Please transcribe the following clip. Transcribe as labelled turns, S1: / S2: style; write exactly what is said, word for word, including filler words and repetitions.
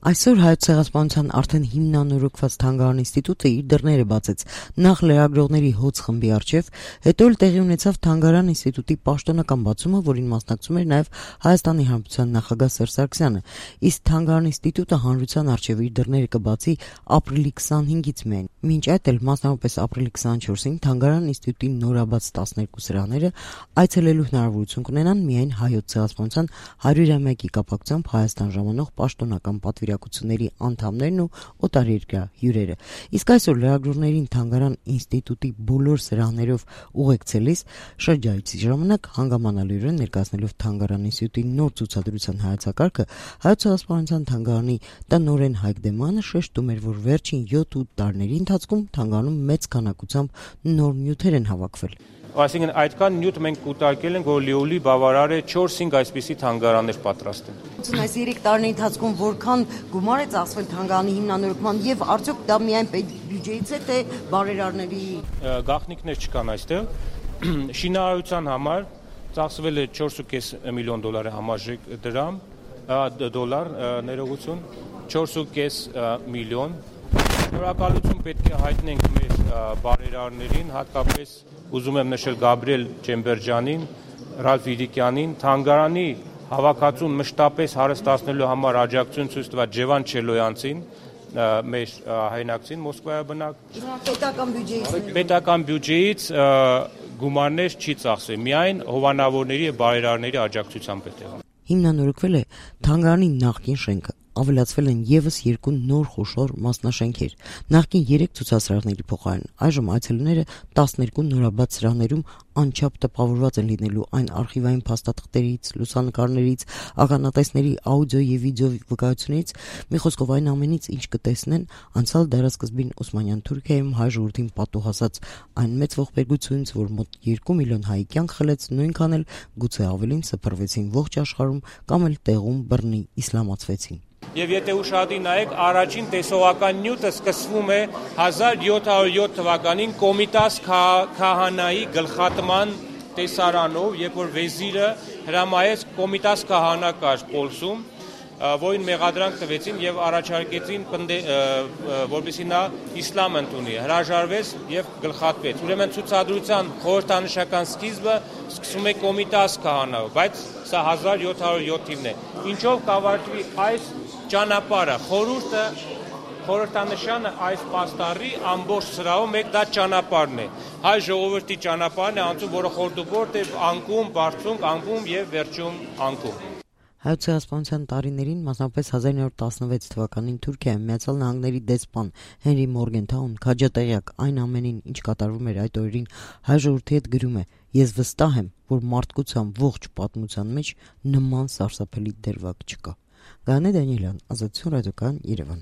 S1: Այսօր Հայոց ցեղասպանության արդեն հիմնանորոգված թանգարան ինստիտուտը իր դռները բացեց նախ լրագրողների հոծ խմբի առջև, հետո էլ տեղի ունեցավ թանգարան ինստիտուտի պաշտոնական բացումը, որին մասնակցում էր նաև Հայաստանի Հանրապետության նախագահ Սերժ Սարգսյանը, իսկ թանգարան ինստիտուտը հանրության առջև իր դռները կբացի ապրիլի քսանհինգից միայն։ Մինչ այդ էլ մասնավորապես ապրիլի քսանչորսին թանգարան ինստիտուտի նորաբաց տասներկու սրահները այցելելու հնարավորություն կունենան միայն Հայոց ցեղասպանության հարյուրամյակի կապակցությամբ Հայաստան ժամանող պաշտոնական պատվիրակությունների անդամներն ու օտարերկրյա հյուրերը։ Իսկ այսօր լրագրողներին թանգարան ինստիտուտի բոլոր սրահներով ուղեկցելիս շրջայցի ժամանակ հանգամանալիորեն ներկայացնելով թանգարան ինստիտուտի նոր ցուցադրության հայեցակարգը, Հայոց ցեղասպանության թանգարանի տնօրեն Հայկ Դեմյանը շեշտում էր, որ վերջին յոթ-ութ տարիների ընթացքում թանգարանում մեծ քանակությամբ նոր նյութեր են հավաքվել։
S2: Այսինքն այդքան նյութ մենք կուտակել ենք, որ լիոլի բավարար է չորս-հինգ այսպիսի թանգարաններ պատրաստել։
S1: Այս երեք տարիների ընթացքում որքան գումար է ծախսվել թանգարանի հիմնանորոգման եւ արդյոք դա միայն բյուջեից է, թե բարերարների
S2: գաղտնիքներ չկան այստեղ։ Շինարարության համար ծախսվել է չորս ու կես միլիոն դոլարի համարժեք դրամ, դոլար ներողություն, չորս ու կես միլիոն։ Շնորհակալություն պետք է հայտնենք մեր բարերարներին, հատկապես ուզում եմ նշել Գաբրիել Ջեմբերջյանին, Ռալֆ Իդիկյանին, թանգարանի հավաքածուն մշտապես հարստացնելու համար աջակցություն ցույց տված Ջևան Չելոյանցին, մեր հայրենակցին Մոսկվայաբնակ։
S1: Պետական բյուջեից
S2: Պետական բյուջեից գումարներ չի ծախսվել, միայն հովանավորների եւ բարերարների աջակցությամբ է տեղում։
S1: Հիմնանորոգվել է թանգարանի նախկին շենքը, ավելացվել են եւս երկու նոր խոշոր մասնաշենքեր, նախկին երեք ցուցասրահների փոխարեն այժմ այցելուները տասներկու նորաբաց սրահներում անչափ տպավորված են լինելու այն արխիվային փաստաթղթերից, լուսանկարներից, ականատեսների աուդիո եւ վիդեո վկայություններից, մի խոսքով այն ամենից, ինչ կտեսնեն անցյալ դարասկզբին Օսմանյան Թուրքիայում հայ ժողովրդին պատուհասած այն մեծ ողբերգությունից, որ մոտ երկու միլիոն հայի կյանք խլեց, նույնքան էլ գուցե ավելին սփռվեցին ողջ աշխարհում կամ էլ տեղում բռնի իսլամացվեցին։
S2: Եվ եթե ուշադիր նայեք, առաջին տեսողական նյութը սկսվում է հազար յոթ հարյուր յոթ թվականին Կոմիտաս Քահանայի գլխատման տեսարանով, երբ որ վեզիրը հրամայեց Կոմիտաս Քահանա կար Պոլսում, որին մեղադրանք տվեցին եւ առաջարկեցին, որպեսզի նա իսլամ ընդունի, հրաժարվեց եւ գլխատվեց։ Ուրեմն ցուցադրության խորհրդանշական սկիզբը սկսում է Կոմիտաս Քահանայով, բայց սա հազար յոթ հարյուր յոթ թիվն է։ Ինչով կավարտվի այս ճանապարհը, խորհուրդը, խորհրդանշանը այս պաստառի ամբողջ սրահով մեկ դա ճանապարհն է։ Հայ ժողովրդի ճանապարհն է անցում, որը խորդուբորդ է անկում, բարձունք, անկում եւ վերջում անկում։
S1: Հայոց ցեղասպանության տարիներին, մասնավորապես հազար իննսուն տասնվեց թվականին Թուրքիայում Միացյալ Նահանգների դեսպան Հենրի Մորգենթաուն քաջատեղյակ այն ամենին, ինչ կատարվում էր այդ օրերին, հայ ժողովրդի հետ գրում է. «Ես վստահ եմ, որ մարդկության ողջ պատմության մեջ նման սարսափելի դերվակ չկա»։ Գաներ Դանիելյան, Ազատություն ռադիոկայան, Երևան։